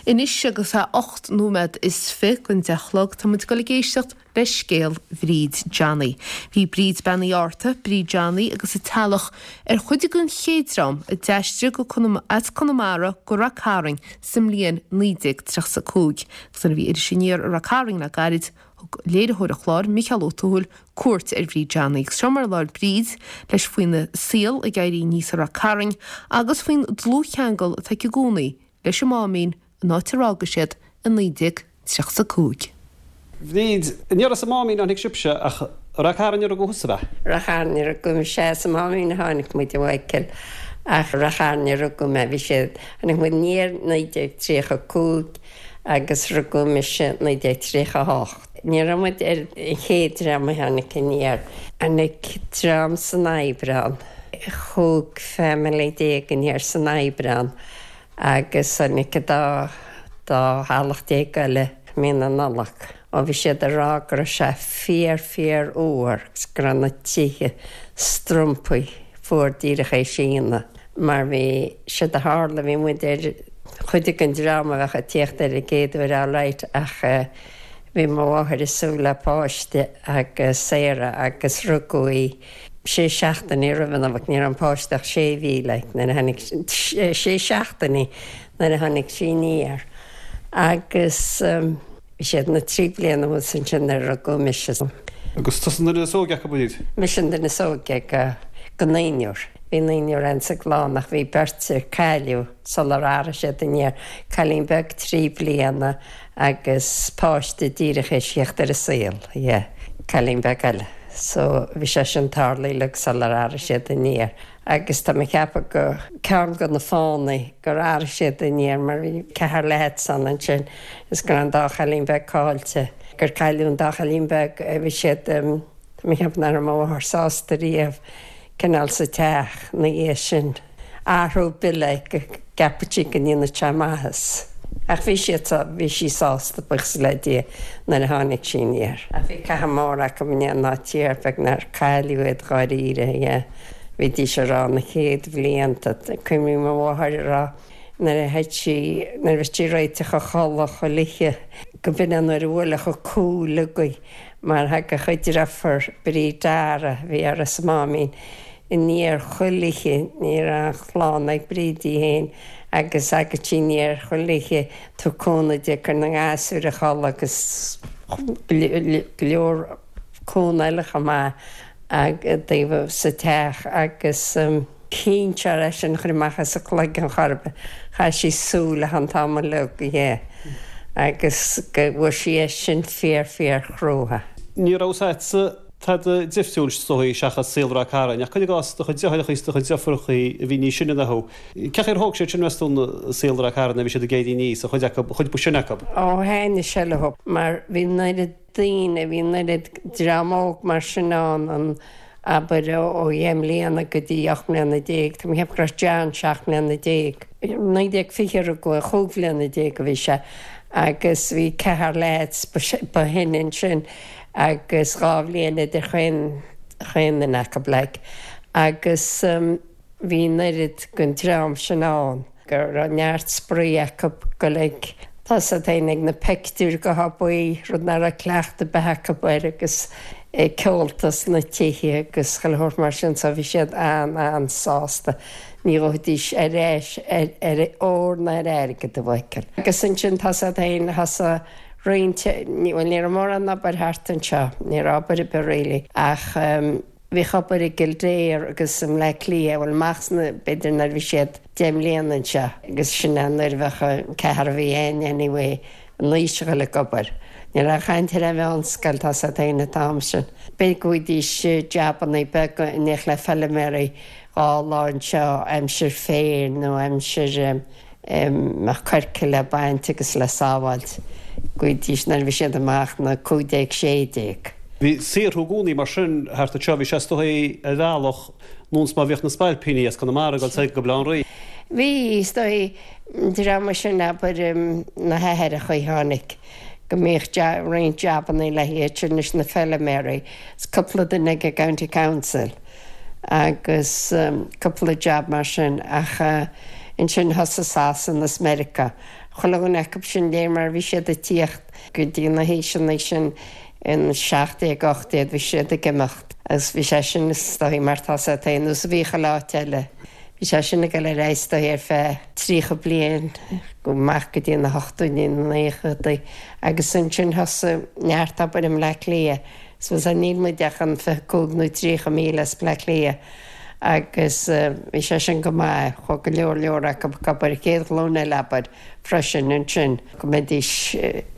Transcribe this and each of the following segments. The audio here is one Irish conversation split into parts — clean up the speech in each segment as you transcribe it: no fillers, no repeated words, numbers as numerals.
Anois agus é 8 nóiméad is 20 don 10 a chlog, tá muid ag dul ag éisteacht le scéal Bhríd Johnny. Bhí Bríd Bean Uí Fhátharta, Bríd Johnny agus a teaghlach ar chuid den chéad dream a d'aistrigh go as Conamara go Rath Cairn sa mbliain 1935. Agus nuair a bhí Iris Aniar i Rath Cairn le gairid, thug léiritheoir an chláir, Micheál Ó Tuathail, cuairt ar Bhríd Johnny. Agus seo mar a labhair Bríd leis faoina saol ag éirí aníos i Rath Cairn agus faoin dlúthcheangal atá aici i gcónaí leis an Máimín, an áit ar fhága siad i 1935. Bhríd, Ní raibh sa Máimín a tháinig sibhse ach Rath Cairn a rugadh thusa, ab ea? Rath Chairn a rugadh mise, sa Máimín a tháinig muid a Mhichael ach Rath Chairn a rugadh mé, bhí siad, tháinig muid aniar 1935 agus rugadh mise 1938. Ní raibh muid ar an chéad dream a tháinig aniar. Tháinig dream san Aibreán, 15 family aniar san Aibreán Agus tháinig an dá dá theaghlach déag eile mí na Nollag. Ó bhí siad ag rá go raibh sé fíor fíor fhuar agus go raibh na tithe strompaí fuar díreach théis ionadh. Mar bhí, séard a tharla, bhí muid ar chuid den dream a bheadh ag tíocht ar an gcéad uair alright ach bhí mo mháthair ag súil le páiste agus Sarah agus rugadh í sé seachtainí roimh an Nollaig, ní raibh an páiste ach sé mhí like nuair a tháinig, sé seachtainí nuair a tháinig sí aniar agus bhí siad na trí bliana thuas ansin nuair a rugadh mise. Agus tusa an duine is óige acu, Bríd? Mise an duine is óige go naonúr. Bhí naonúr ann sa gclann ach bhí beirt a cailleadh sular athraigh siad aniar, cailín beag trí bliana agus páiste díreach théis theacht ar an saol, yeah, cailín beag eile. So, bhí sé sin tarlaithe uilig sular athraigh siad aniar. Agus tá mé ag ceapadh go, ceann de na fáthanna gur athraigh siad aniar mar bhí ceathrar lads ann ansin is go raibh an dá chailín beag caillte, gur cailleadh an dá chailín beag, bhí siad, tá mé ag ceapadh nach raibh mo mháthair sásta riamh cineál sa teach ina dhiaidh sin. Athrú ar bith like go gceapfadh sí go ndéanfadh sé maitheas. Ach bhí siad, bhí sí sásta, buíochas le Dia, nuair a tháinig sí aniar. Ach bhí cathú mór acu i ndiaidh an áit thiar beag nár cailleadh iad dháiríre, yeah. Bhídís ag rá na chéad bhlianta, cuimhním mo mháthair ag rá nuair a théid sí, nuair a bhí sí ag réiteach a chodladh chuile oíche, go b'in an uair a bhuailfeadh a cúl uirthi mar thagadh a deirfiúr, Bríd Dara, a bhí uirthi sa Máimín, aniar chuile oíche, ní raibh aon chlann ag Bríd í féin agus thagadh sí aniar chuile oíche ag tabhairt cúnamh di ag cur na ngasúr a chodladh agus go leor cúnamh eile chomh maith daofa sa teach agus cinnte é sin a chur amach as a cloigeann chor ar bith. Chaith sí súil leis an t-am uilig, yeah, agus go bhfuair sí é sin fíor fíor chrua. Ní raibh a fhios agatsa tada difriúil is dóigh seachas saol Ráth Cairn, ach cuir i gcás do chuid deartháireacha is do chuid deirfiúracha a bhí níos sine ná thú. Cén chaoi ar thóg siad sin, meas tú, saol Ráth Cairn nuair a bhí siad ag éirí aníos, an chuid acu, an chuid ba shine acu? Ó thaitnigh sé leo mar bhí an oiread daoine, bhí an oiread dream óg mar sin ann, an, abair, ó dheich mbliana go dtí 18 mbliana, tá mé ag ceapadh go raibh John 17 mbliana. 1920 a rugadh é, chúig bhliana déag a bhí sé agus bhí ceathrar leaids ba shine ansin. agus dhá bhliain idir chaon chaon duine acu like agus bhí an oiread den dream sin ann go raibh neart spraoi acu goil ag tá a fhios agat fhéin ag na peictiúir go hobaí rud nach raibh cleachtadh ar bith acu air agus ceolta sna tithe agus chuile shórt mar sin so bhí siad an-an-sásta ní ghabhfaidís ar ais ar ar ór ná ar airgead a Mhichael. Agus ansin tá a fhios agat fhéin thosaigh roinnt, bhuel ní raibh mórán obair thart anseo, ní raibh obair ar bith really ach bhíodh obair i gKildare agus i mBleá Cliath, bhuel amach sna, b'fhéidir nuair a bhí siad deich mbliana anseo agus sin é nuair a bheadh an ceathrar a bhí againn anyway in aois a dhul ag obair. Ní raibh aon chaint ar an mheánscoil, tá a fhios agat fhéin an t-am sin. B'fhéidir go bhfaighidís jabannaí beaga in éineacht le feilméaraí dhá lá anseo aimsir féir nó aimsir mbeadh coirce le baint agus le sábháilt go bhfaighidís nuair a bhí siad amach na 15, 16. Bhí saothrú i gcónaí mar sin thart anseo, bhí sé is dóigh ar bhealach nós mar bhíodh na spailpíní as Conamara ag dul soir go Baile Átha an Rí. Bhí, is dóigh, an dream sin abair na haithreacha a tháinig go mbíodh roinnt jabannaí le hiad sin leis na feilméaraí is cúpla duine ag an gCounty Council. agus cúpla jab mar sin ach ansin thosaigh Sasana is Meiriceá. Chuile dhuine acu sin léir mar bhí siad ag tíocht go dtí na haoiseanna sin in 17, 18 bhí siad ag imeacht agus bhí sé sin is dóigh mar tá sé ar nós a bhí chuile áit eile. Bhí sé sin ag dul ar aghaidh is dóigh ar feadh 30 bliain go amach go dtí na hochtóidí na naochadaí agus ansin thosaigh neart obair i mBleá Cliath. So níl muid ach an 25 nó 30 míle as Bleá Cliath agus bhí sé sin go maith, chuaigh go leor leor acu ag obair, an chéad ghlúin eile abair, freisin ansin, go mbeidís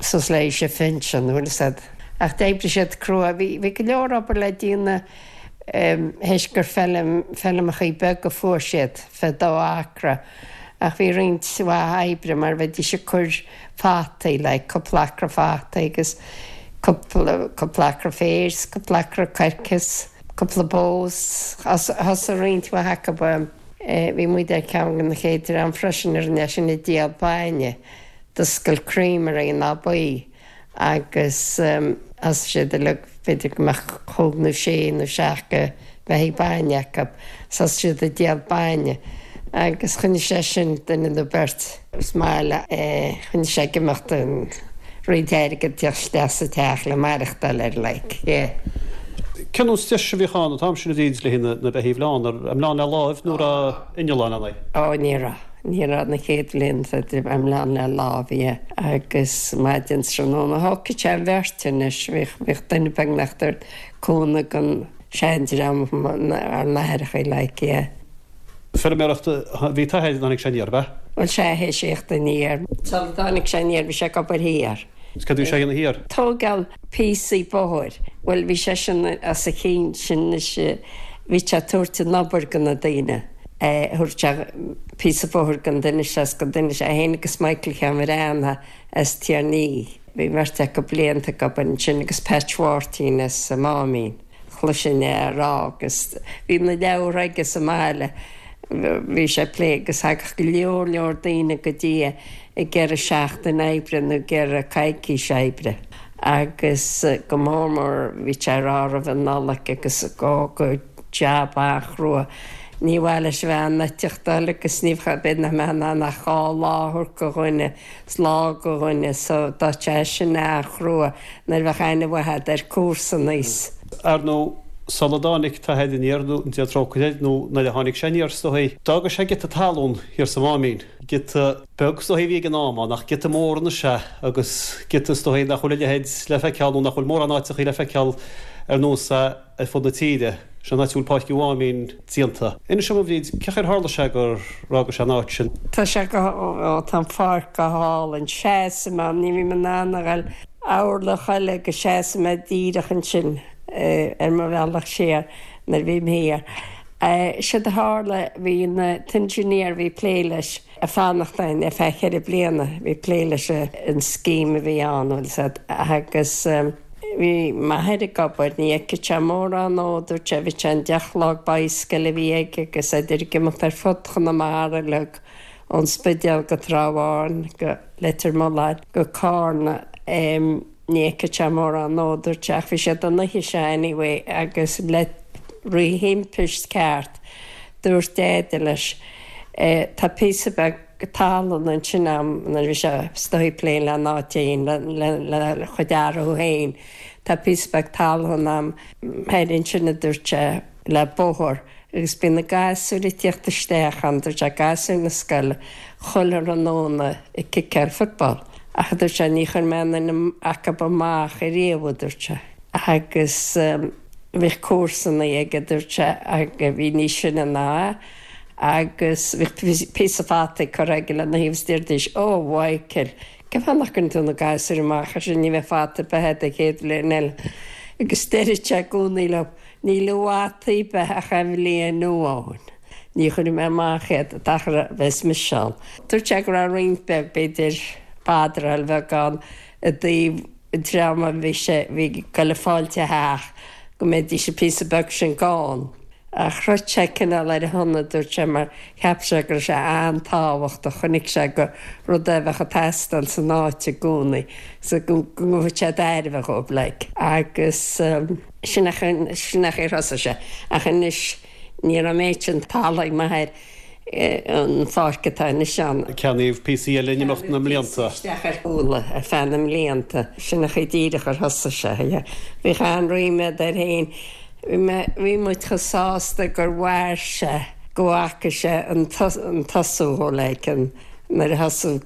suas le aois a phinsean, bhfuil fhios a'd. Ach d'oibrigh siad crua, bhí, bhí go leor obair le déanamh théis gur feilm, feilmeachaí beaga a fuair siad, fé dó acra, ach bhí roinnt mhaith oibre mar bheidís ag cur fataí, like, cúpla acra fataí agus cúpla, cúpla acra féir 's cúpla acra coirce 's cúpla bó 's thosaigh roinnt mhaith acu, bhí muid ar cheann de na chéad dream freisin a rinne sin ag díol bainne, d'oscail creamery in Áth Buí agus thosaigh siad uilig, b'fhéidir go mbeadh chúig nó sé nó seacht de bheithígh bainne acu, thosaigh siad ag díol bainne agus choinnigh sé sin duine nó beirt sa mbaile, choinnigh sé ag imeacht an roinnt airgid ag teacht isteach sa teach le maireachtáil air like, yeah. Cén nós deis a bhíodh ann an t-am sin a Bhríd le haghaidh na beithígh a bhleán, an mbleán le láimh nó raibh inneall ann ann? Ó ní raibh. Ní raibh na chéad bhlianta á mbleán le lámh, yeah. Agus maidin 's tráthnóna thógfadh sé an bheirt anois, bhíodh, bhíodh duine beagnach ag tabhairt cúnamh don seandream, ár n-aithreachaí like, yeah. Feirmeoireacht a bhí t'athair nuair a tháinig sé aniar, ab ea? Bhuel sea, théis a thíocht aniar. Sula dtáinig sé aniar bhí sé ag obair thiar. Is cad a bhí sé a dhéanamh thiar? Tógáil píosaí bóthair. Bhuel bhí seisean as a chinn sin anois, bhí sé ag tabhairt an obair go na daoine. Thabhairt sé píosa bóthair don duine seo is don duine seo, é féin agus Michael Sheáin Bhreathnach as Tír an Fhia. Bhí an bheirt acu blianta ag obair ansin agus Patch Mháirtín as an Máimín. Chloisinn é á rá agus bhí na leabhartha aige sa mbaile, bhí sé ag plé agus thagadh go leor leor daoine go dtí é ag iarraidh seachtain oibre nó ag iarraidh coicís oibre agus go mór mór bhí sé ag rá roimh an Nollaig agus go go jab an-chrua. Ní mhaith leis a bheith ann eiteachtáil agus ní bheadh, b'fhéidir nach mbeadh in ann ach dhá lá a thabhairt go dhuine 's lá go dhuine so tá sé sin an-chrua nuair a bheadh aithne mhaith a'd ar comharsana is. Ar ndóigh, sula dtáinig t'athair aniar, nó Dia trócaire air, nó nuair a tháinig sé aniar, is dóigh, d'fhága sé giota talún thiar sa Mháimín. Giota beag is dóigh a bhí ag an am ann, ach giota mór anois é, agus giota is dóigh nach bhfuil a leithéid le feiceáil, nó nach bhfuil mórán áiteachaí le feiceáil ar nós é. ar fud na tíre. Sin an áit a bhfuil Páirc an Mháimín déanta. Inis dom, a Bhríd, cén chaoi ar tharla sé gur fhága sé an áit sin? Tá sé go, ó, tá an pháirc go hálainn. Seasaim ann, ní bhím in ann a ghoil orlach eile go seasaim mé díreach ansin ar mo bhealach siar nuair a bhím thiar. Séard a tharla, bhí an t-engineer a bhí ag plé leis ag fanacht ann ar feadh cheithre bliana, bhí ag plé leis an scheme a bhí ann, bhfuil 'fhios a'd, agus. Bhí m'athair ag obair, ní fheicfeadh sé mórán dó, dúirt sé, bhí sé an deich chlog bicycle a bhí aige agus idir ag imeacht ar fud Chonamara uilig, ón Spidéal go Trá Bháin, go Leitir Mealláin, go Cárna, ní fheicfeadh sé mórán dó, dúirt sé, ach bhí siad an oíche seo anyway agus le rí-thimpist ceart, dúirt Deaide leis, tá píosa beag. talún ansin a'm nuair a bhí sé is dóigh ag plé lena áit fhéin, lena chuid athrú féin. Tá píosa beag talún a'm thoir ansin a dúirt sé, le bóthar agus bíonn na gasúir ag tíocht isteach ann, dúirt sé, gasúir na scoile, chuile thráthnóna ag ciceáil football. Ach a dúirt sé, ní chuir mé aon duine acub amach ariamh, a dúirt sé. Agus bhíodh comharsanaí aige, dúirt sé, a bhí níos sine ná é. Agus bhíodh píosa fataí curtha aige lena thaobh is deiridís, Ó, a Mhichael, cén fáth nach gcuireann tú na gasúir amach ar sin, ní bheidh fata ar bith a'd an chéad bhliain eile. Agus deireadh sé i gcónaí leo, Níl i bhfataí ar bith ach aon bhliain amháin. Ní chuirfidh mé amach iad an t-achar a bheas mise ann. Dúirt sé go raibh roinnt beag, b'fhéidir, badráil bheag ann i dtaobh an dream a bhí sé, bhí ag goil ag fáilt a theach, go mbeidís an píosa beag sin gann. Ach throid sé cineál ar a shon, a dúirt sé, mar cheap sé go raibh sé an-tábhachtach, chonaic sé gur rud é a bheadh ag teastáil san áit i gcónaí, so go ngabhfadh sé tairbhe dhóibh, like. Agus sin é, sin é an chaoi ar thosaigh sé. Ach anois, ní raibh an méid sin talún ag m'athair. An pháirc atá anois ann. Ceannaíodh píosaí eile in imeacht na mblianta. Isteach ar Chuala ar feadh na mblianta. Sin an chaoi díreach ar thosaigh sé. Bhíodh an-ríméad air féin. Bhí muid chomh sásta gur mhair sé, go bhfaca sé an tosú like an nuair a thosaigh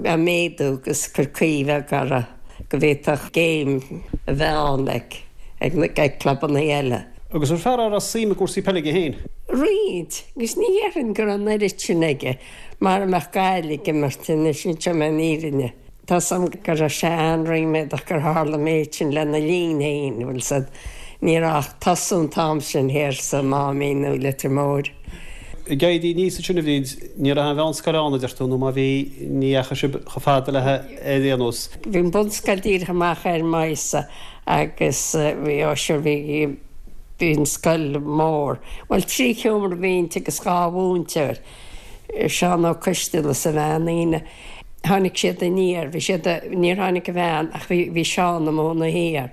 ag méadú agus cur caoi bheag orthu go bhféadfadh game a bheith ann like ag clubanna eile. Agus an fear a raibh suim i gcúrsaí peile aige féin? Roinnt, agus ní dhéarfainn go raibh an oiread sin aige mara mbeadh Gaillimh ag imirt anois, inseoidh mé an fhírinne. Tá 's a'm go raibh sé an-ríméadach gur tharla an méid sin lena linn féin, bhfuil 's a'd. Ní raibh ach tosú an t-am sin thiar sa Máimín nó Leitir Móir. Ag éirí aníos ansin a Bhríd, ní raibh aon mheánscoil ann, a deir tú, nó má bhí, ní dheachaigh sibh chomh fada léi ar aon nós. Bhí an bunscoil díreach amach ar m'aghaidhse agus bhí, ó sure, bhí, bhí an scoil mór. Bhuel, trí sheomra a bhí inti agus dhá mhúinteoir, Seán Ó Coisteala is a bhean Aoine. Tháinig siad aniar, bhí siad, níor tháinig a bhean ach bhí, bhí Seán ina chónaí thiar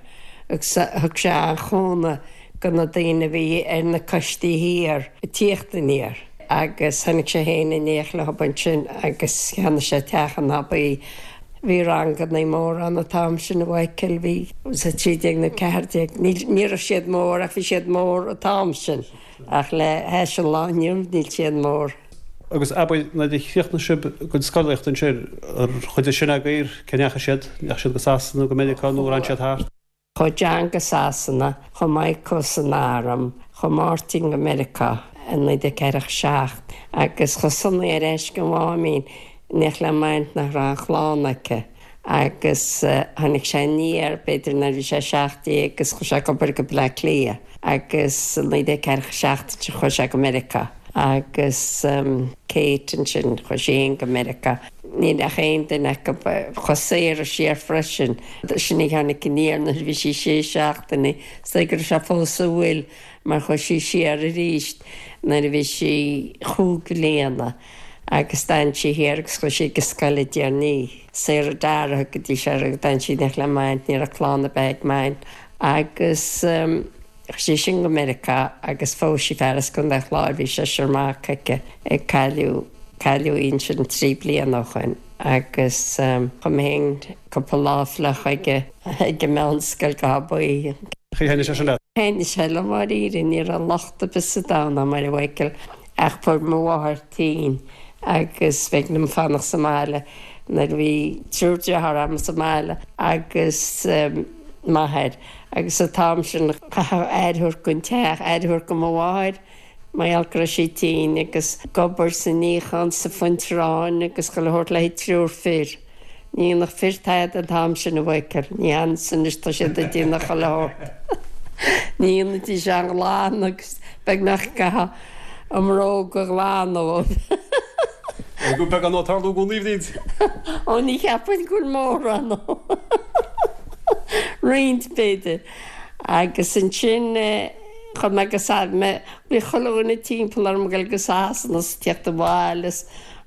agus thug sé an-chúnamh go na daoine a bhí ar na coistí thiar ag tíocht aniar. Agus tháinig sé féin in éineacht leo ansin agus cheannaigh sé teach in Abaí. Bhí rangannaí móra ann an t-am sin, a Mhichael, bhí 13 nó 14, ní raibh siad mór ach bhí siad mór an t-am sin ach le hais an lá inniu níl siad mór. Agus abair, nuair a chríochnaigh sibh bhur gcuid scolaíochta ansin, ar chuid de sin agaibh, cá ndeachaigh siad? Ndeachaigh siad go Sasana nó go Meiriceá nó ar fhan siad thart? Chuaigh John go Sasana, chuaigh Michael san arm, chuaigh Máirtín go Meiriceá i 1947 agus chuaigh Sonny ar ais go Máimín in éineacht le m'aint nach raibh aon chlann aici agus tháinig sé aniar b'fhéidir nuair a bhí sé 17 agus chuaigh sé ag obair go Bleá Cliath agus i 1947 ansin chuaigh sé go Meiriceá agus Kate ansin chuaigh sí féin go Meiriceá. Níl ach aon duine acu. Chuaigh Sarah siar freisin. Sin í a tháinig aniar nuair a bhí sí sé seachtaine. Is dóigh go raibh sé fós sa bhfuil mar chuaigh sí siar arís nuair a bhí sí chúig bliana agus d'fhan sí thiar agus chuaigh sí ag an scoil i dTír an Fhia. Sarah Dara a thugaidís uirthi agus d'fhan sí in éineacht le m'aint, ní raibh clann ar bith ag m'aint. Agus chuaigh sí sin go Meiriceá agus phós sí fear as Contae an Chláir, bhí seisear mac aici, ag cailleadh, cailleadh í ansin trí bliana ó shoin agus chuaigh mé féin cúpla lá fliuch ag ag an meánscoil go hAbaí. Thaitnigh sé sin leat? Thaitnigh sé liom dháiríre, ní raibh locht ar bith sa domhan orm a Mhichael ach fuair mo mháthair tinn agus b'éigean dom fanacht sa mbaile nuair a bhí triúr dearthár agam sa mbaile agus m'athair Agus an t-am sin chaithfeá aire a thabhairt don teach, aire a thabhairt do mo mháthair, mar gheall go raibh sí tinn, agus ag obair sa níochán, sa phuint aráin agus chuile shórt le haghaidh triúr fir. Ní dhéanfadh fir tada an t-am sin, a Mhichael. Ní hiontas anois tá siad ag déanamh chuile shórt. Ní dhéanfaidís aon ghlanadh agus beagnach gcaithfeá a mbróga a ghlanadh dóibh. Go beagán ag tarlú i gcónaí, a Bhríd. Ó ní cheapfainn go bhfuil mórán. Roinnt, b'fhéidir. Agus ansin chuaigh mé go Sa-, bhí chuile dhuine timpeall orm ag dul go Sasana is ag tíocht abhaile is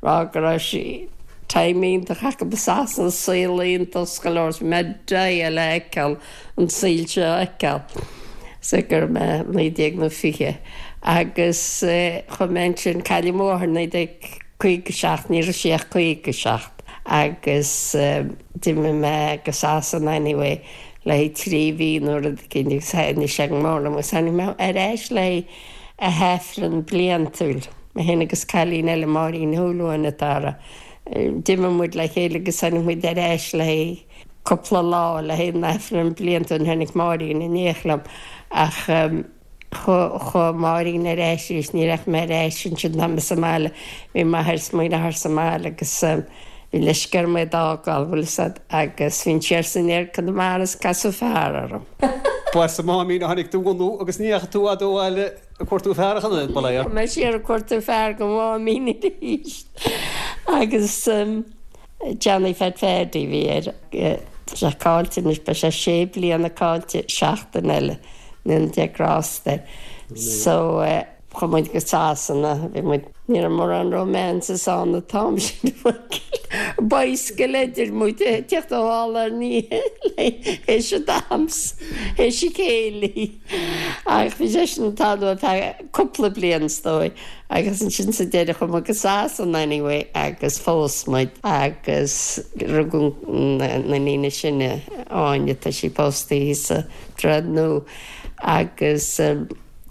rá go raibh sé time iontach acu i Sasana, saol iontach is chuile shórt. Bhí mé ag deighil le feiceáil, an saol seo a fheiceáil. So go raibh mé 19 nó 20. Agus chuaigh mé ansin, cailleadh mo mháthair 1957, ní raibh sí ach 57. Agus. D'imigh mé go Sasana anyway le haghaidh trí mhí nó rud eicínt agus thaitnigh sé go mór liom agus tháinig mé ar ais le haghaidh a hAifreann bliantúil, mé féin agus cailín eile, Máirín Ní Shúilleabháin atá uirthi. D'imigh muid le chéile agus tháinig muid ar ais le haghaidh cúpla lá le haghaidh an Aifreann bliantúil, tháinig Máirín in éineacht liom ach. Chuaigh Máirín ar ais arís, ní raibh mé ar ais ansin tá mé sa mbaile, bhí m'athair is mo dheartháir sa mbaile agus bhí leisce orm iad a fhágáil, bhfuil fhios a'd, agus bhínn siar is aniar Conamara is casadh fear orm. Ba sa Máimín a tháinig do bhunú agus ní dheachaigh tú fhad ó bhaile ag cuartú fear ach an oiread, ba léir. Chuaigh mé siar ag cuartú fear go Máimín arís agus Johnny Phat Phaddy a bhí air. Tá sé caillte anois, beidh sé sé bliana caillte seachtain eile. Ndéana Dia grásta air. So chuaigh muid go Sasana, bhí muid, ní raibh mórán romances ann an t-am sin a Mhichael. Bicycle idir muid ag teacht ó Halla an théis an dams, théis an chéilí. Ach bhí sé sin ag tarlú ar feadh cúpla bliain is dóigh agus ansin sa deireadh chuaigh muid go Sasana anyway agus phós muid agus rugadh an iníon is sine, Áine, tá sí pósta thíos sa Droichead Nua agus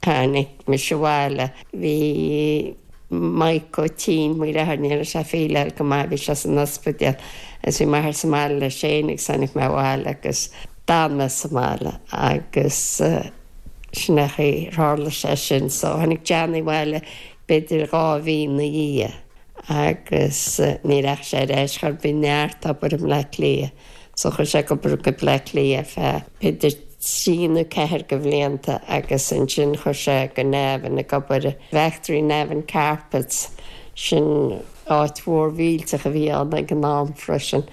tháinig mise abhaile. Bhí Maidhc tinn, mo dheartháir, ní raibh sé ag féileáil go maith, bhí sé san ospidéal agus bhí m'athair sa mbaile leis féin agus tháinig mé abhaile agus d'fhan mé sa mbaile agus sin é an chaoi ar tharla sé sin. So tháinig Johnny abhaile b'fhéidir 2 mhí ina dhiaidh agus ní rachaidh sé ar ais chor ar bith, neart obair i mBleá Cliath. So chuaigh sé ag obair go Bleá Cliath ar feadh b'fhéidir trí nó ceathair de bhlianta agus ansin chuaigh sé go Navan ag obair i bhfactory Navan Carpets, sin áit mhór mhillteach a bhí ann ag an am freisin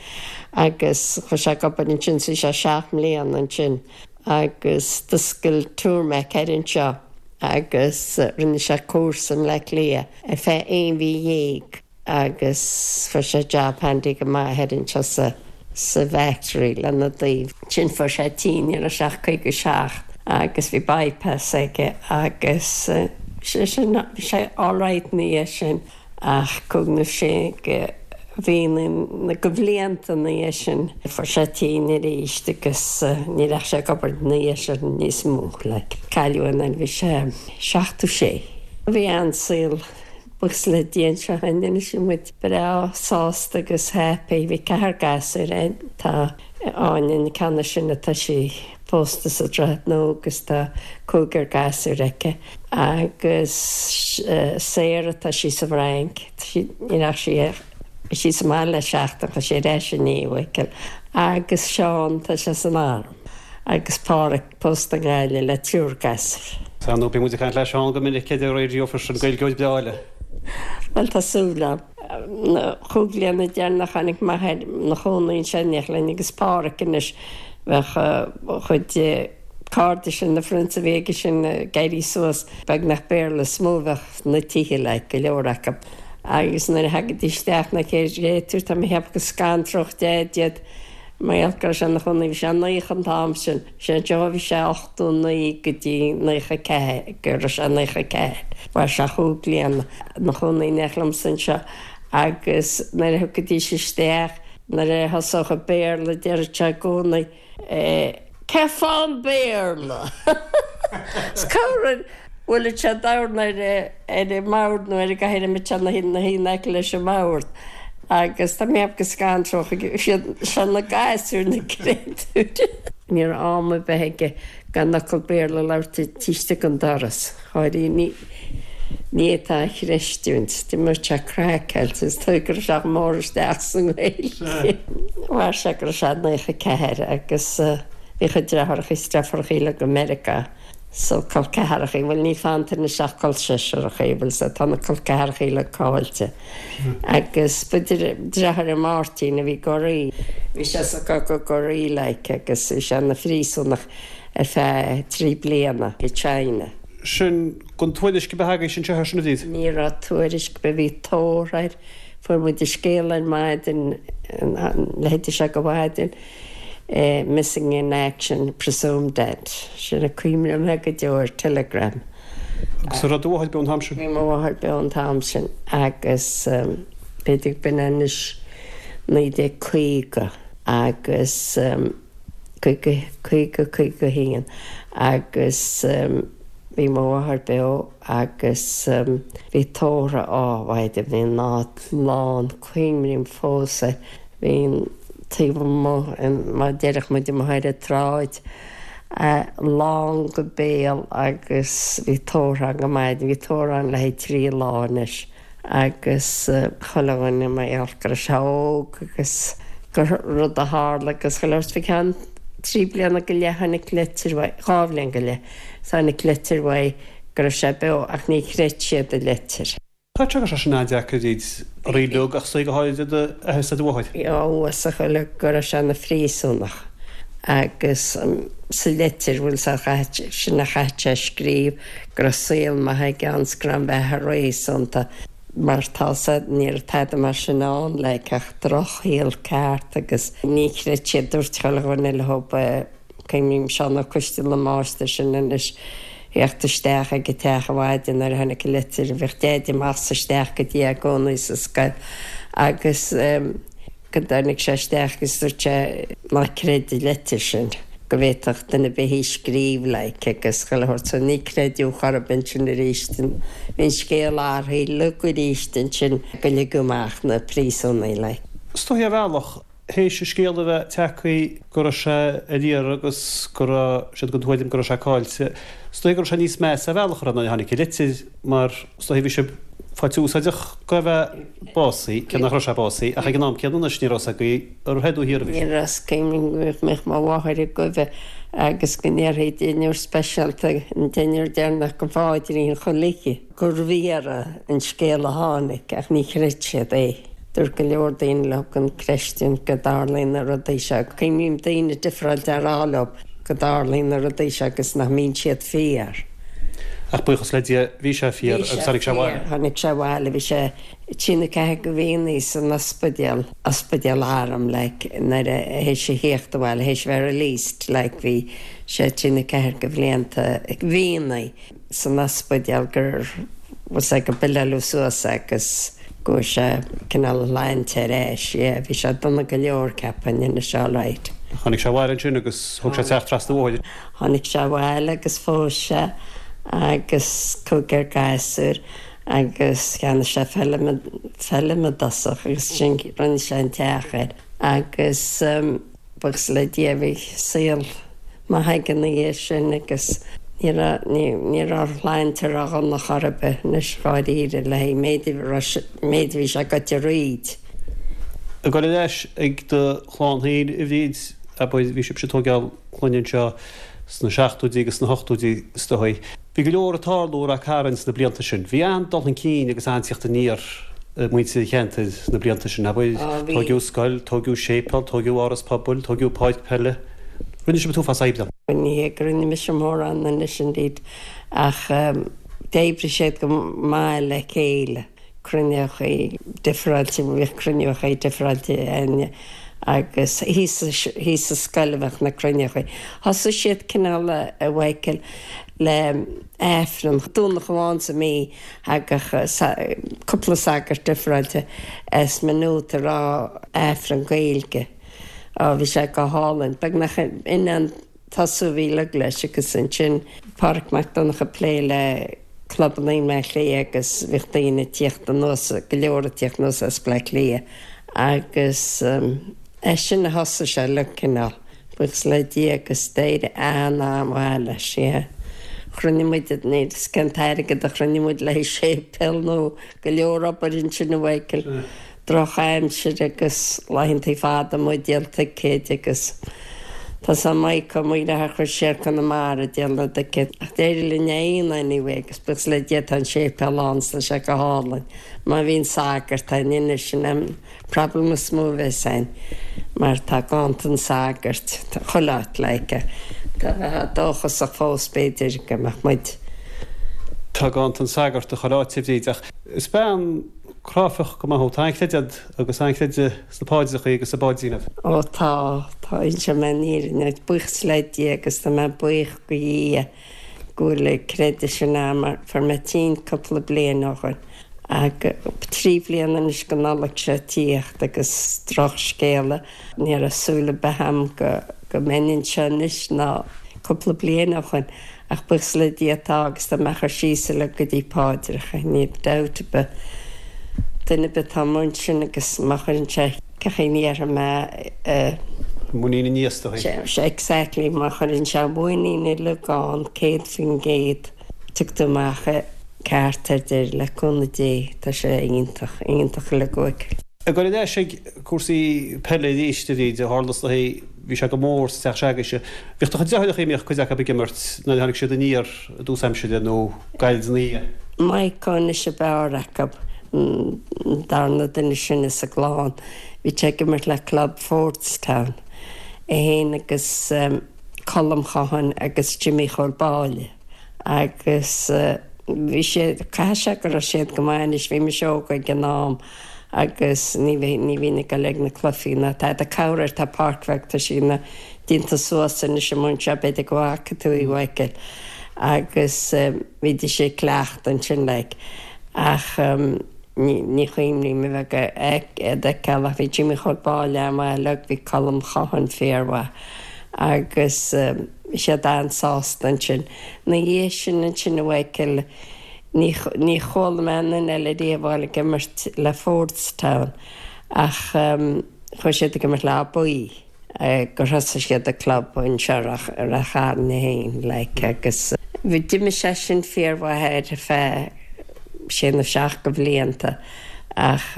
agus chuaigh sé ag obair ansin so bhí sé seacht mbliana ansin agus d'oscail Turmac thoir anseo agus rinne sé cúrsa i mBleá Cliath ar feadh aon mhí dhéag. agus fuair sé job handy go maith thoir anseo sa sa bhfactory lena dtaobh. Ansin fuair sé tinn ní raibh sé ach 57 agus bhí bypass aige agus sé sin bhí sé alright ina dhiaidh sin ach cúig nó sé de mhíonna de bhlianta ina dhiaidh sin fuair sé tinn arís agus ní raibh sé ag obair ina dhiaidh sin níos mó like. Cailleadh é nuair a bhí sé 76. Bhí an-saol Buíochas le Dia anseo in Inis bhí muid breá sásta agus happy. Bhí ceathrar gasúr againn. Tá Áine an ceann is sine tá sí pósta sa Droichead Nua agus tá cúigear gasúr aici. Agus Sarah tá sí sa bhFrainc. Ní raibh sí bhí sí sa mbaile le seachtain tá sí ar ais inniu a Mhichíl. Agus Seán tá sé san arm. Agus Páraic Pósta i nGaillimh le triúr gasúr. Sea, nó bíonn muid ag caint le Seán go minic ar an raidió freisin, Gaeilgeoir breá eile. Bhuel, tá súil agam. Na chúig bliana deireanach tháinig m'athair 'na chónaí anseo in éineacht linn agus Páraic anois. Bheadh a chuid cairde sin, na friends a bhí aige sin ag éirí suas, beagnach Béarla is mó a bheadh sna tithe like, go leor acu. Agus nuair a thagaidís isteach na créatúir, tá mé a cheapadh go scantródh Deaid iad. Mar gheall go raibh sé ina chónaí, bhí sé 90 an t-am sin, sé anseo a bhí sé 89 go dtí 94, go raibh sé 94, mhair sé chúig bliana ina chónaí in éineacht liomsa anseo agus nuair a thiocfaidís isteach, nuair a thosódh an Béarla deireadh sé i gcónaí, Cén fáth an Béarla? Is corruair bhuaileadh sé dorn ar ar an mbord nó ar an gcathaoir a mbeadh sé ina shuí in aice leis an mbord agus tá mé ag ceapadh go scanródh siad seo na gasúir na créatúir. Ní raibh am ar bith aige gan fhocal Béarla a labhairt taobh istigh den doras. Dháiríre, ní fhéadfá a chreistiúint. D'imreodh sé craiceáilte is dóigh go raibh sé chomh mór isteach sa nGaeilge. Mhair sé go raibh sé 94 agus bhí a chuid deartháireacha is deirfiúracha uilig i Meiriceá so col ceathracha, bhuel níl fanta anois ach col seisearacha, bhuel so tá na col ceathracha uilig caillte. Agus ba deartháir é Máirtín a bhí i gCorea. Bhí sé sa gcogadh i gCorea like agus bhí sé ina phríosúnach ar feadh 3 bliana i China. Sin gan tuairisc ar bith agaibhse anseo air sin a Bhríd? Ní raibh tuairisc ar bith, bhí tórramh air, fuair muid an scéal ar maidin, leithéide seo de mhaidin, missing in action, presumed dead. Sin a cuimhním go deo ar telegram. Agus an raibh do mháthair beo an t-am sin? Bhí mo mháthair beo an t-am sin agus b'fhéidir b'in anois 1950 agus. 50, 50, 51 agus bhí mo mháthair beo agus bhí tórramh á mhaighdean, bhí an áit lán, cuimrím fós é, bhí an taobh amuigh, mar a déarfadh muid amuigh ar an tsráid, lán go béal agus bhí tórramh ann go maidin, bhí tórramh ann le haghaidh trí lá anois. agus chuile dhuine mar gheall go raibh sé óg agus gur rud a tharla agus chuile shórt. Fá cheann trí bliana go leith tháinig litir uaidh, dhá bhliain go leith, tháinig litir uaidh go raibh sé beo ach ní chreid siad an litir. Tá sé sin an-deacair a Bhríd, oraibh uilig ach go háirid d'athair is do mháthair. Bhí a fhios ag chuile go raibh sé ina phríosúnach agus sa litir, bhfuil 's agat, sin a chaithfeadh sé a scríobh, go raibh saol maith aige ann 's go raibh an bheatha réasúnta. Mar tá 's a'd, ní raibh tada mar sin ann, like, ach drochshaol ceart agus ní chreid siad, dúirt chuile dhuine leob, cuimhním Seán Ó Coistealbha an máistir sin anois, theacht isteach ag an teach ar maidin nuair a tháinig an litir, bhíodh Deaide amach 's isteach go dtí é i gcónaí sa scoil agus, go dtáinig sé isteach agus dúirt sé ná creid an leitir sin, go bhféadfadh duine ar bith í scríobh like agus chuile shórt so ní creideadh chor ar bith ansin arís. Bhí an scéal athraithe uilig arís ansin go ligeadh amach na príosúnaigh like. Is dóichí ar bhealach, théis an scéal a bheith tagtha go raibh sé ar iarraidh agus go raibh siad den tuairim go raibh sé caillte, is dóichí go raibh sé níos measa ar bhealach nuair a tháinig an litir mar is dóichí bhí sibh faighte úsáideach go bheith básaithe, cé nach raibh sé básaithe, ach ag an am céanna anois ní raibh 's agaibh ar thoir nó thiar a bhí sé. Ní raibh 's cuimhním go mbeadh mo mháthair ag goimhe agus go ndéarfaí deichniúr speisialta, an deichniúr deireanach den pháidrín chuile oíche, gurbh fhíor an scéal a tháinig ach ní chreid siad é. Dúirt go leor daoine leo gan creistiúint go dtarlaíonn na rudaí seo. Cuimhním daoine difreáilte a rá leo go dtarlaíonn na rudaí seo agus nach mbíonn siad fíor. Ach buíochas le Dia, bhí sé fíor agus tháinig sé abhaile. Tháinig sé abhaile, bhí sé trí nó ceathair de mhíonnaí san ospidéal, ospidéal airm like, nuair a, théis a thíocht abhaile, théis a bheith released like, bhí sé trí nó ceathair de bhlianta, mhíonnaí san ospidéal gur, bhfuil 's a'd, gur billeáileadh suas é agus go bhfuair sé cineál a shláinte ar ais, yeah, bhí sé dona go leor ceapfainn, anois alright. Tháinig sé abhaile ansin agus thóg sé teach trasna an bhóthair. Tháinig sé abhaile agus phós sé agus cúigear gasúr agus cheannaigh sé feilm, feilm i dtosach agus ansin rinne sé an teach air agus buíochas le Dia bhí saol maith aige ina dhiaidh sin agus ní raibh, ní, ní raibh a shláinte ródhona chor ar bith anois dháiríre le haghaidh méid a raibh, méid a bhí sé goite thríd. Ag dul ar ais ag do chlann féin a Bhríd, abair, bhí sibhse ag tógáil clainne anseo sna seachtóidí agus sna hochtóidí is dóigh. Bhí go leor ag tarlú i Rath Cairn sna blianta sin. Bhí an-dul chun cinn agus an-tíocht aniar ag muintir an cheantair sna blianta sin, abair. Tóigeadh scoil, tóigeadh séipéal, tóigeadh áras pobail, tóigeadh páirc peile. Rinne sibh an t-uafás oibre. Ní hé go rinne mise mórán anois indeed ach d'oibrigh siad go maith le chéile. cruinneochaí difreáilte, bhíodh cruinneochaí difreáilte againn agus thíos, thíos sa scoil a bheadh na cruinneochaí. Thosaigh siad cineál a Mhichael le Aifreann, Domhnach amháin sa mí thagadh cúpla sagart difreáilte as Maynooth ag rá Aifreann Gaeilge. Á bhí sé go hálainn. Beagnach in an tosú a bhí uilig leis agus ansin Pádraic Mac Donncha ag plé le clubanna i mBleá Cliath agus bhíodh daoine ag tíocht anuas, go leor ag tíocht anuas as Bleá Cliath agus as sin a thosaigh sé uilig cineál, buíochas le Dia agus d'éirigh an-an-mhaith leis, yeah. Chruinnigh muid, níl 'fhios cén t-airgead a chruinnigh muid le haghaidh séipéal nó go leor obair ansin a Mhichael. Droch-aimsir agus laethantaí fada amuigh ag díol ticéid agus tá 's a'm Mike Ó Maoileathair chuir siar Conamara ag díol na dticéad ach d'éirigh linn é a dhéanamh anyway agus buíochas le Dia tá an séipéal ann is tá sé go hálainn. Má bhíonn sagart ann anois sin an problem is mó a bheas ann mar tá ganntan sagairt chuile áit like tá bheifeá dóchasach fós b'fhéidir go mbeadh muid. Tá ganntan sagart i chuile áit a Bhríd ach is bean Cráifeach go maith thú. Tá an-chreideamh a'd agus an-chreideamh sna paidreachaí agus sa bPáidrín a'd. Ó tá, tá, inseoidh mé an fhírinne duit, buíochas le Dia agus tá mé buíoch go Dhia go bhfuil an creideamh sin a'm mar fuair mé tinn cúpla bliain ó shoin agus trí bhliana anois go Nollaig seo ag tíocht agus drochscéala, ní raibh súil ar bith a'm go go mbeinn anseo anois ná cúpla bliain ó shoin. Ach buíochas le Dia tá agus tá mé ag cur síos uilig go dtí paidreacha, níl dabht ar bith. Duine ar bith atá amuigh ansin agus má chuireann sé cén chaoi a ndéarfaidh mé eh. Muinín i nDia is dóigh. Sea, exactly, má chuireann sé muinín uilig ann, 100%, tiocfaidh tú amach ceart ar deireadh, le cúnamh Dé, tá sé iontach, iontach uilig uaithi. Ag dul ar ais ag cúrsaí peile arís a Bhríd, tharla is dóigh, bhí sé go mór sa teach se'agaibhse. Bhíodh do chuid deartháireacha, a mbíodh cuid acu ag imirt nuair a tháinig siad aniar i dtús aimsire nó gairid ina dhiaidh. Maidhc anois ab fhearr acu, an darna duine is sine sa gclann. Bhí sé ag imirt le club Fordstown, é féin agus Colm Chohan agus Jimmy Chóil Báille agus. Bhí siad, caithfidh sé go raibh siad go maith anois, bhí mise óg ag an am agus ní bhí, ní bhínn ag dul ag na cluichí ná tada. Corruair tá páirc bheag, tá sí ina, déanta suas anois amuigh anseo, b'fhéidir go bhfaca tú í a Mhichael, agus bhídís ag cleachtadh ansin like. Ach ní, ní chuimhním a bheith ag, iad a fheiceáil ach bhí Jimmy Chóil Báille an-mhaith uilig, bhí Colm Chohan fíormhaith agus. Bhí siad an-sásta ansin. Ina dhiaidh sin ansin a Mhichael, ní, ní chuala mé aon duine eile riamh a ghabháil ag imirt le Fordstown ach chuaigh siad ag imirt le Áth Buí gur thosaigh siad an club anseo i Rath, i Rath Chairn féin like agus bhí, d'imir sé sin fíormhaith ar feadh sé nó seacht de bhlianta ach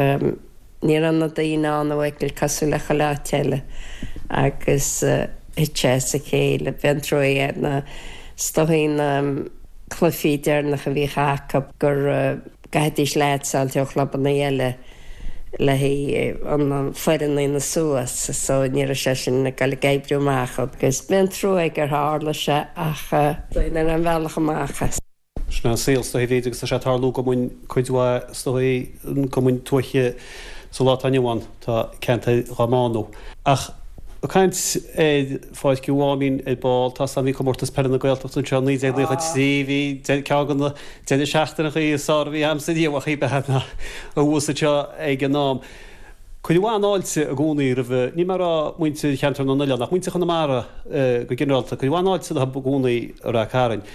Ní raibh na daoine ann, a Mhichael, cosúil le chuile áit eile agus thit sé as a chéile. Bhí an-trua é na, is dóichí na cluichí deireanacha a bhíodh acu go gcaithfidís leaids a fháilt ó chlubanna eile le haghaidh an foireann a dhéanamh suas so ní raibh sé sin ag dul ag oibriú amach agus bhí an-trua aige gur tharla sé ach ní raibh aon bhealach amach as. Sin é an saol, is dóichí, a Bhríd, agus tá sé ag tarlú i gcumainn, cuid mhaith, is dóichí, i gcumainn tuaithe sa lá atá inniu ann, tá ceantair dhá mbánú. Ach ag caint ar Pháirc an Mháimín ar ball, tá 's a'm, bhí Comórtas Peile na Gaeltachta anseo i 1993, bhí ceann de na deireadh seachtaineachaí is fearr a bhí a'msa riamh ach bheith abhus anseo ag an am. Cuireadh an-fháilte i gcónaí roimh, níl mé ag rá muintir Cheantar na nOileán, ach muintir Chonamara go ginearálta, cuireadh an-fháilte leo i gcónaí i Rath Cairn.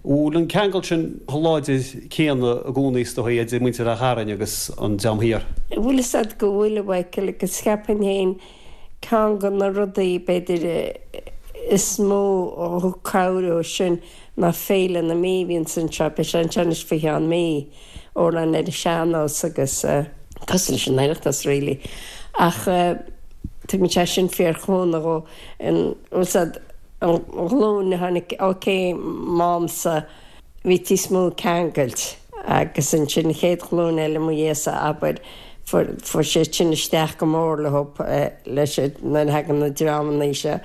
Bhfuil an ceangal sin chomh láidir céanna i gcónaí is dóigh idir muintir Rath Chairn agus an dream thiar? Bhfuil fhios a'd go bhfuil, a Mhichael, agus cheapfainn féin ceann de na rudaí b'fhéidir is mó a thug cabhair dhó sin ná Féile na Mí a bhíonns anseo, beidh sé anseo anois faoi cheann mí. amhráin ar an sean-nós agus cosúil leis an Oireachtas really ach tugann sé sin fíorchúnamh dhó an bhfuil 's a'd an ghlúin a tháinig ok m'amsa bhí níos mó ceangailt agus ansin an chéad ghlúin eile mo dhiaidhse abair fuair fuair siad sin isteach go mór leo leis nuair a thagann na dreamanna seo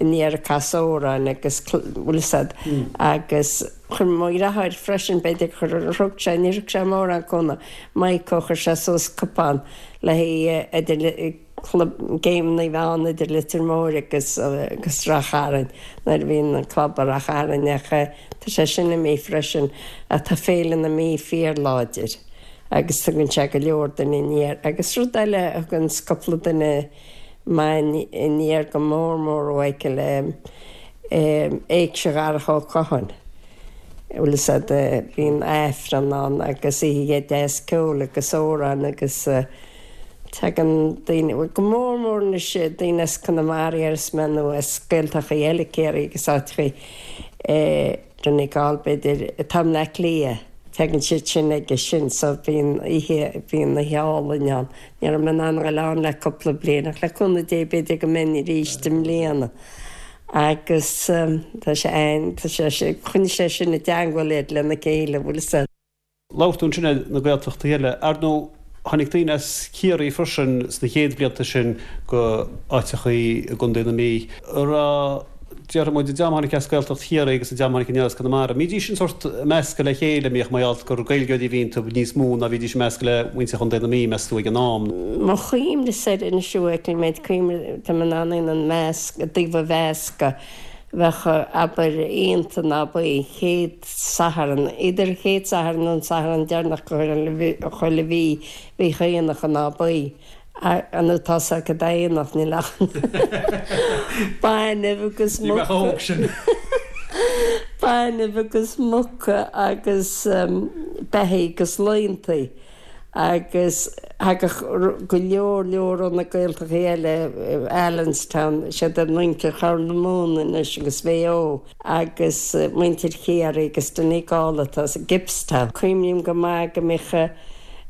aniar ag casadh amhráin agus bhfuil 's a'd agus Chuir mo dheartháir freisin, b'fhéidir gur thug sé, níor thug sé mórán cúnamh, Maidhc, chuir sé suas cupán le haghaidh idir club, géimeanna a bheith ann idir Leitir Móir agus agus Rath Chairn nuair a bhí an club i Rath Chairn ach tá sé sin imithe freisin ach tá Féile na Mí fíorláidir agus tugann sé go leor duine aniar agus rud eile a thugann cúpla duine maith aniar go mór mór a Mhichael, Éigse Dharach Ó Catháin. Bhfuil fhios a'd, bíonn Aifreann ann agus oíche deas ceoil agus amhráin agus tagann daoine, bhuel go mór mór anois daoine as Conamara déarfas mé nó as Gaeltachtaí eile, Ciarraí agus áiteachaí, Donegal b'fhéidir, atá i mBleá Cliath, tagann siad sin aige sin so bíonn oíche, bíonn oíche álainn ann. Ní raibh mé in ann a ghoil ann le cúpla bliain ach le cúnamh Dé b'fhéidir go mbeinn arís i mbliana. Agus tá sé ann, tá sé sin, choinnigh sé sin i dteangmháil iad lena chéile, bhfuil fhios a'd. Labhair tú ansin ar na Gaeltachtaí eile. Ar ndóigh, tháinig daoine as Ciarraí freisin sna chéad bhlianta sin go áiteachaí i gContae na Mí. An raibh Déarfaidh muid, an dream a tháinig as Gaeltacht Chiarraí agus an dream a tháinig aniar as Conamara, an mbídís an sórt measctha le chéile, an mbíodh mar gheall gur Gaeilgeoirí a bhí iontu níos mó ná bhídís measctha le muintir Chontae na Mí, meas tú, ag an am? Mo chuimhne-sa air anois a Mhichael, méid cuimhne, tá mé in ann an measc, i dtaobh an mheasctha, bheadh, abair, Aonta ná ba an chéad Satharn, idir an chéad Satharn nó an Satharn deireanach de chuile mhí, bhíodh aonach in Áth Buí. Nó tá sé acu d'aonach, níl ach bainbh agus muca. Bainbh agus muca agus beithígh agus laontaí agus thagadh go leor leor ó na Gaeltachtaí eile, Allenstown, siad an muintir Chorr na Móna anois agus Mhaigh Eo agus muintir Chiarraí agus Donegal atá sa Gibbstown. Cuimhním go maith go mbíodh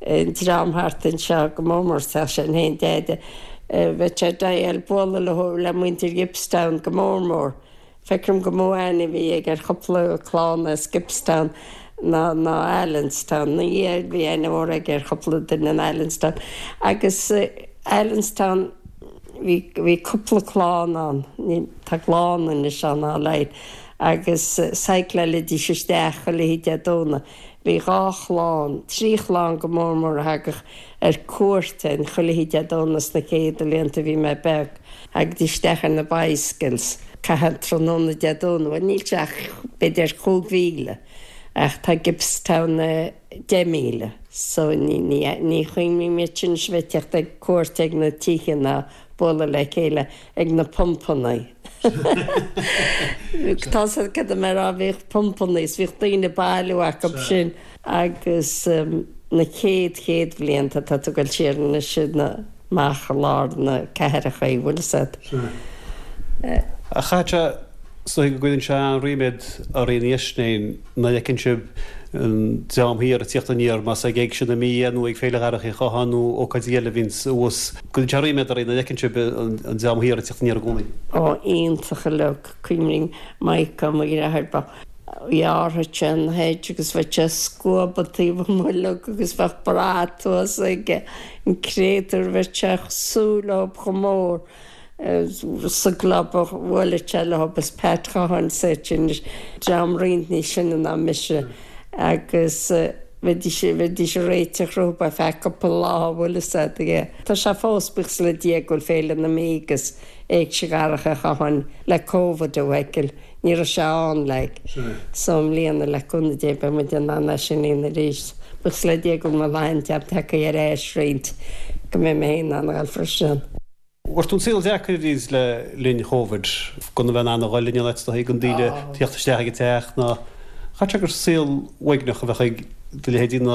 an dream thart anseo go mór mór sa teach sin féin, Deaide. Bheadh sé ag bualadh leo, le muintir Gibbstown go mór mór. Feicim gur mó aithne a bhí aige ar chúpla clann as Gibbstown ná ná Allenstown. Ina dhiaidh bhí aithne mhór aige ar chúpla duine in Allenstown. Agus Allenstown. Bhí, bhí cúpla clann ann, ní, tá clann anois ann á laghad, agus cycláilidís isteach chuile oíche Dé Domhnaigh. Bhí dhá chlann, trí chlann go mór mór a thagadh ar cuairt orainn chuile oíche Dé Domhnaigh sna céadta blianta a bhí mé beag. Thagaidís isteach ar na bicycles, caitheamh tráthnóna Dé Domhnaigh, bhuel níl sé ach b'fhéidir chúig mhíle ach tá Gibbstown 10,000 so ní, ní, ní chuimhním iad sin anois a bheith ag teacht ag cuairt ag na tithe ná bualadh le chéile ag na pumpanna. Tá 's agat cad tá mé a rá, bhíodh pumpanna is bhíodh daoine ag bailiú acu sin agus na chéad chéad bhlianta tá tú ag dul siar anois na amach i lár na cathrach é, bhfuil 'fhios agat. Ach chaithfeadh sé is dóigh go gcuireann sé an-ríméad oraibh ina dhiaidh sin nuair a fheiceann sibh an dream thiar ag tíocht aniar, más ag Éigse na Mí é nó ag Féile Dharach Uí Chatháin nó ócáidí eile a bhíonns abhus. Cuireann sé ríméad oraibh nuair a fheiceann sibh an dream thiar ag tíocht aniar i gcónaí. Ó, iontach uilig. Cuimhním Mike Ó mo dheartháir, ba ghearrfadh sé an hedge agus bheadh sé ag scuabadh taobh amuigh uilig agus bheadh brat thuas aige, an créatúr, bheadh sé ag súil leob chomh mór sa gclub a bhuaileadh sé leob is Pat Chatháin is iad sin, dream roinnt níos sine ná mise agus bheidís, bheidís ag réiteach rompu ar feadh cúpla lá, bhfuil fhios a'd, yeah. Tá sé fós, buíochas le Dia go bhfuil Féile na Mí agus Éigse Dharach Uí Chatháin le Covid a Mhichael, ní raibh sé ann like. So i mbliana le cúnamh Dé beidh muid in ann é sin a dhéanamh arís. Buíochas le Dia go bhfuil mo shláinte a'm tagtha ar ais roinnt go mbeidh mé féin in ann a dhul freisin. Bhfuair tú an saol deacair arís le linn Chóivid, gan a bheith in ann a dhul in aon áit is dóigh gan daoine tíocht isteach ag an teach ná chaithfeadh sé gur saol uaigneach a bheadh ag do leithéidí in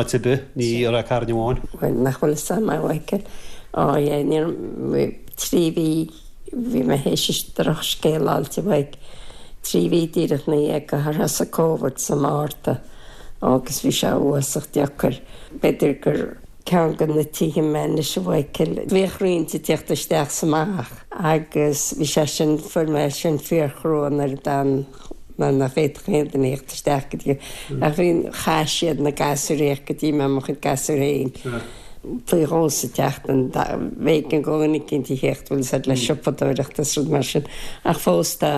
áit ar bith, ní i Ráth Cairn amháin. Bhuel, nach bhfuil fhios a'm a Mhichael. Ó yeah, ní raibh, trí mhí, bhí mé théis drochscéal a fháilt uaidh trí mhí díreach ina dhiaidh gur thosaigh Covid sa Márta agus bhí sé uafásach deacair. B'fhéidir gur ceann de na tithe mé anois a Mhichael. Bhíodh roinnt ag tíocht isteach 's amach agus bhí sé sin, fuair mé sin fíorchrua nuair a d'fhan nuair nach bhféadfadh aon duine theacht isteach go dtí ach bhí chaith siad na gasúir a theacht go dtí mé mo chuid gasúr féin faoi dhó sa tseachtain b'éigean do dhuine eicínt a theacht bhfuil fhios a'd le siopadóireacht is rud mar sin ach fós tá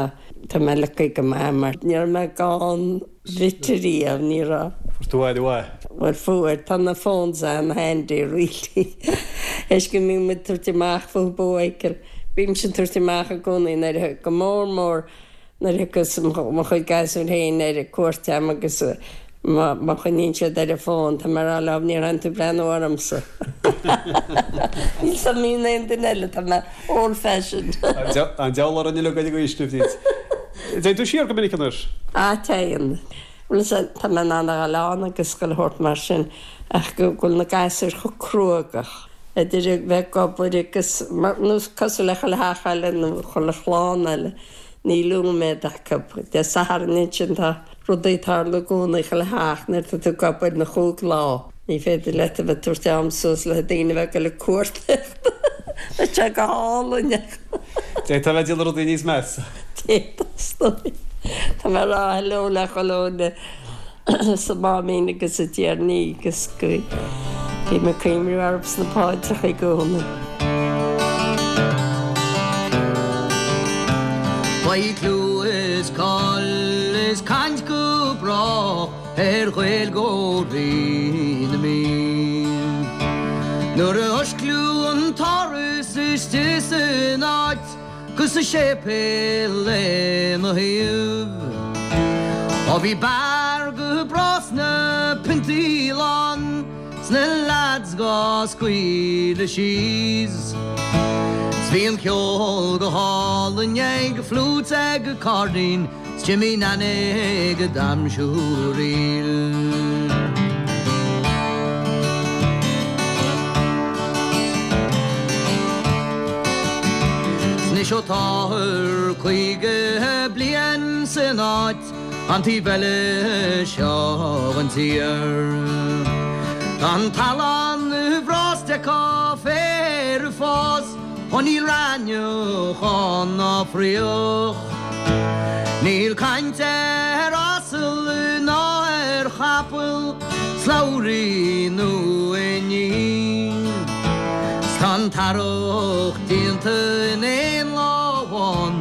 tá mé lucky go maith mar ní raibh mé gan rite riamh ní raibh. Fuair tú aire mhaith. Bhuel fuair tá na phones an-handy really théis go mbíonn muid ag tabhairt amach fúthu a Mhichael bímse ag tabhairt amach i gcónaí nuair a go mór mór Nuair a thiocfas mo chuid gasúr féin ar cuairt a'm agus má choinníonn siad ar an bhfón, tá mé ag rá leo, níor tháinig tú ag breathnú ormsa. Níl 's a'm an aon duine eile, tá mé old fashioned. An diabhal orainn uilig ag an aois sin, Bríd. Téann tú siar go minic anois? Á, téann. Bhuel, tá mé in ann a dhul ann agus chuile shórt mar sin ach go bhfuil na gasúir chomh cruógach. idir a bheith ag obair agus nó cosúil le chuile theach eile nó chuile chlann eile, níl úiméad acu. Dé Sathairn ansin tá rudaí ag tarlú i gcónaí chuile theach nuair atá tú ag obair na chúig lá. Ní féidir leat a bheith ag tabhairt am suas le daoine a bheith ag dul ag cuartaíocht. Tá sé go hálainn ach. D'fhéadfá a bheith ag déanamh rudaí níos measa. D'fhéadfá, is dóigh. Tá mé ag rá hello le chuile dhuine. sa Máimín agus sa Tiarnaí agus go bím ag cuimhniú orthu sna paidreacha i gcónaí. Beidh clú is cáil is caint go brách ar Ghaeilgeoirí na Mí. Nuair a osclaíodh an t-áras istigh san áit, 'Gus an séipéal lena thaobh. Ó bhí beár go breá 's na piontaí lán 's na leaids dhá scaoileadh síos. 'S bhí an ceol go hálainn ag fliúit 's ag cairdín 's Jimmy Nanny ag damsiúraíl. 'S anois ó táthar 50 bliain san áit an taobh eile seo den tír. Tá an talamh ana-bhreá 's d'fheicfeá féar ag fás. Ó níl raithneach ann ná fraoch. Níl caint ar asal ná ar chapall, slabhraí nó inní. 'S tá an. An t-earrach déanta in aon lá amháin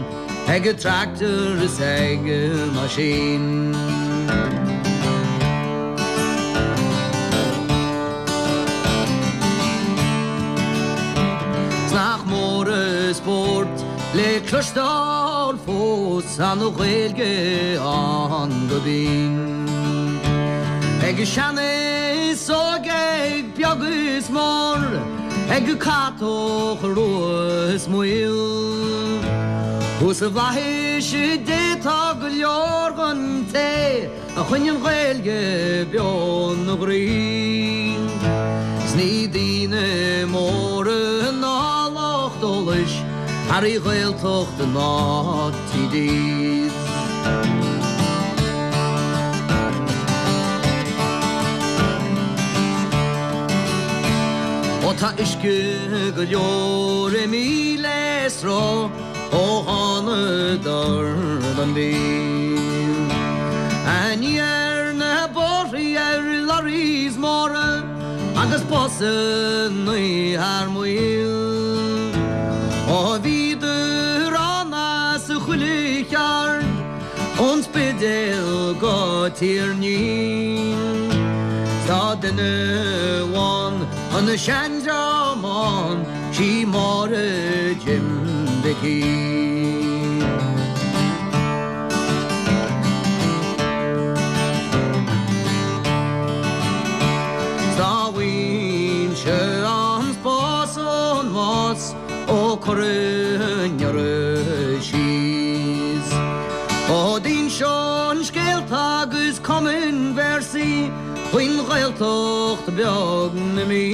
ag an tractor is ag an machine. 'S nach mór an spórt le cloisteáil fós an Ghaeilge ann go binn. Ag sean is óg ag beag is mór, ag catach rua is maol. Thuas i bhFlaithis Dé tá go leor den té a choinnigh an Ghaeilge beo 'na gcroí. 'S ní daoine móra ná lucht eolais airí Ghaeltachta ná TDs. Ó tá uisce go leor imithe le sruth ó thánadar don Mhí. Aniar na bóithre ar lorries móra agus busannaí thar maoil. Ó bhíodar ann as chuile cheard ón Spidéal go Tír an Fhia. Tá duine amháin an seandream ann, sí Máire Jim Mhicí. 'S dá bhfaighinnse an spás ón mbás ó cuireadh anuraidh síos. Ó d'inseoinn scéalta agus chumfainn véarsaí faoin Ghaeltacht bheag na Mí.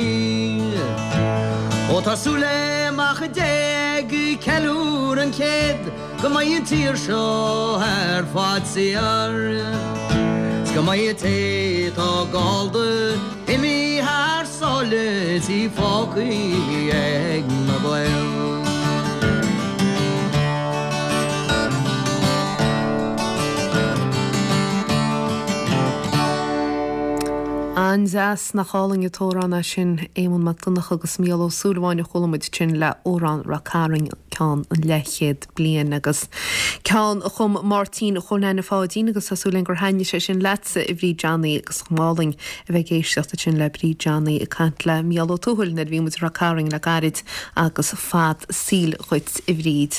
Ó tá súil le Mac Dé ag ceiliúradh an chéid go mbeidh an tír seo ar fad saor 's go mbeidh an té atá gallda imithe thar sáile is í fágtha ag na Gaeil. An-deas, nach álainn an t-amhrán é sin, Éamonn Mac Donncha agus Mícheál Ó Súilleabháin a chuala muid ansin le Amhrán Ráth Cairn, ceann an leathchéad bliain agus ceann a chum Máirtín Chóil Neaine Pháidín agus tá súil againn gur thaitnigh sé sin leatsa a Bhríd Johnny agus chomh álainn a bheith ag éisteacht ansin le Bríd Johnny ag caint le Mícheál Ó Tuathail nuair a bhí muid i Ráth Cairn le gairid agus fad saoil dhuit a Bhríd.